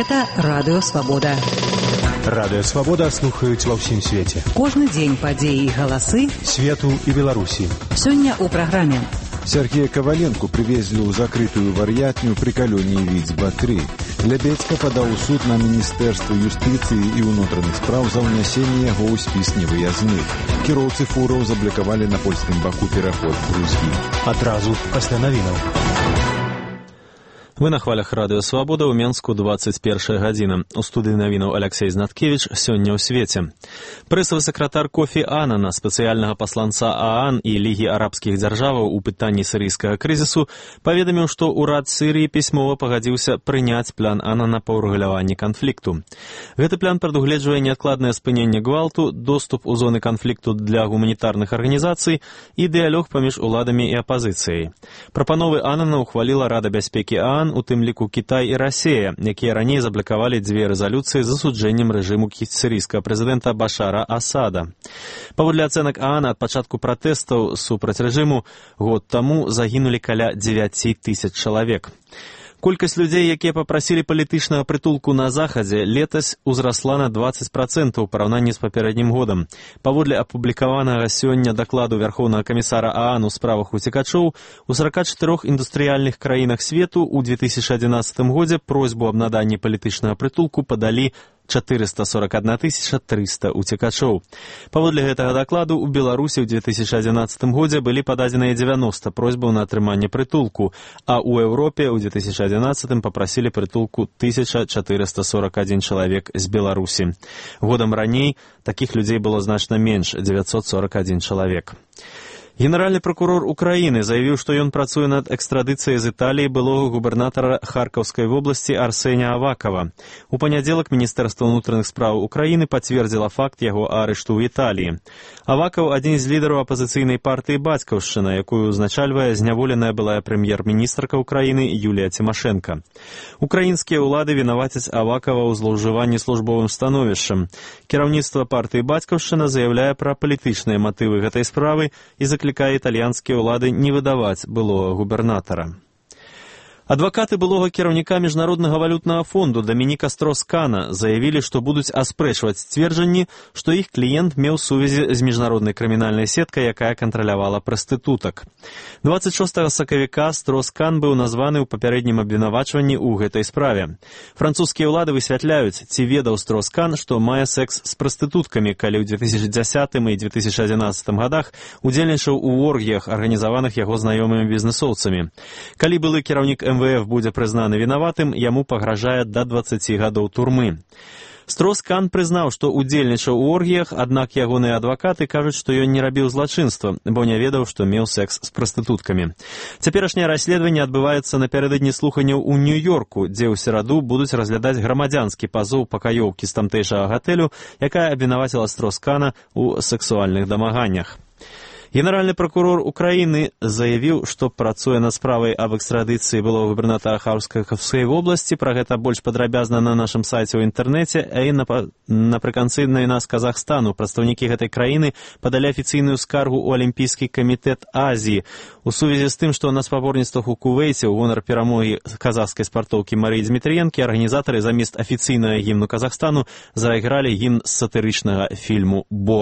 Гэта Радыё Свабода. Радыё Свабода слухаюць ва ўсім свеце. Кожны дзень падзеі і галасы свету і Беларусі. Сёння ў праграме. Сергея Коваленко привезли ў закрытую вар'ятню при калёні Віцба-3. Лебедзька падаў у суд на Міністэрства юстыцыі і ўнутраных спраў за ўнясенне яго ў спіс невыязных. Кіроўцы фураў заблокавалі на польскім баку пераход Грузіі. Адразу пасля навінаў. Вы на хвалях Радыё Свабода ў Менску 21 гадзіна. У студыі навінаў Алексей Знаткевич сёння ў свеце. Прэсавы сакратар Кофі Аннана, спецыяльнага пасланца ААН і Лігі арабскіх дзяржаваў у пытанні сірыйскага крызісу, паведаміў, што ўрад Сірыі пісьмова пагадзіўся прыняць план Аннана па ўрэгуляванні канфлікту. Гэты план прадугледжвае неадкладнае спыненне гвалту, доступ у зоны канфлікту для гуманітарных арганізацый і дыялог паміж уладамі і апазіцыяй. Прапановы Аннана ухваліла Рада бяспекі ААН, у тым ліку Кітай і Расія, якія раней заблакавалі дзве рэзалюцыі з асуджэннем рэжыму сірыйскага прэзідэнта Башара Асада. Паводле ацэнак ААН, ад пачатку пратэстаў супраць рэжыму год таму загінулі каля 9 тысяч чалавек. Колькасць людзей, якія папрасілі палітычнага прытулку на захадзе, летась узрасла на 20% у параўнанні з папярэднім годам. Паводле апублікаванага сёння дакладу Вярхоўнага камісара ААН у справах уцекачоў, у 44 індустрыяльных краінах свету ў 2011 годзе просьбу аб наданні палітычнага прытулку падалі 441 300 уцекачоў. Паводле гэтага дакладу ў Беларусі ў 2011 годзе былі пададзеныя 90 просьбаў на атрыманне прытулку, а ў Еўропе ў 2011 папрасілі прытулку 1441 чалавек з Беларусі. Годам раней такіх людзей было значна менш, 941 чалавек. Генеральны прокурор Украіны заявіў, што ён працуе над экстрадыцыяй з Італіі былога губернатара Харкаўскай вобласці Арсеня Авакова. У панядзелак Міністэрства ўнутраных спраў Украіны пацвердзіла факт яго арышту ў Італіі. Авакаў – адзін з лідараў апазіцыйнай партыі «Бацькаўшчына», якую узначальвае зняволеная былая прэм'ер-міністрка Украіны Юлія Цімашэнка. Украінскія ўлады вінавацяць Авакава ў злоўжыванні службовым становішчам. Кіраўніцтва партыі «Бацькаўшчына» заяўляе пра палітычныя матывы гэтай справы і заклікае італьянскія ўлады не выдаваць былога губернатара. Адвакаты былога кіраўніка Міжнароднага валютнага фонду Дамініка Строскана заявілі, што будуць аспрэчваць сцверджанні, што іх кліент меў сувязі з міжнароднай крымінальнай сеткай, якая кантралявала прастытутак. 26 сакавіка Строскан быў названы ў папярэднім абвінавачванні ў гэтай справе. Французскія ўлады высвятляюць, ці ведаў Строскан, што мае секс з прастытуткамі, калі ў 2010 і 2011 годах удзельнічаў у оргіях, арганізаваных яго знаёмымі бізнесоўцамі. Калі былы кіраўнік МВФ будзе прызнаны вінаватым, яму пагражае да 20 гадоў турмы. Строскан прызнаў, што удзельнічаў у оргіях, аднак ягоныя адвакаты кажуць, што ён не рабіў злачынства, бо не ведаў, што меў секс з прастытуткамі. Цяперашняе расследаванне адбываецца напярэдадні слуханняў у Нью-Йорку, дзе ў сераду будуць разглядаць грамадзянскі пазоў пакаёўкі з тамтэйшага гатэлю, якая абвінаваціла Строскана ў сексуальных дамаганнях. Генеральны прокурор Украіны заявіў, што працуе над справай аб экстрадыцыі былога губернатара Харкаўскай вобласці. Пра гэта больш падрабязна на нашым сайце ў інтэрнэце, а і напрыканцы навіна з Казахстану. Прадстаўнікі гэтай краіны падалі афіцыйную скаргу ў Алімпійскі камітэт Азіі у сувязі з тым, што на спаборніцтвах у Кувейце ў гонар перамогі казахскай спартоўкі Марыі Дмітрыенкі арганізатары замест афіцыйнага гімну Казахстану зайгралі гімн з сатырычнага фільму «Бо».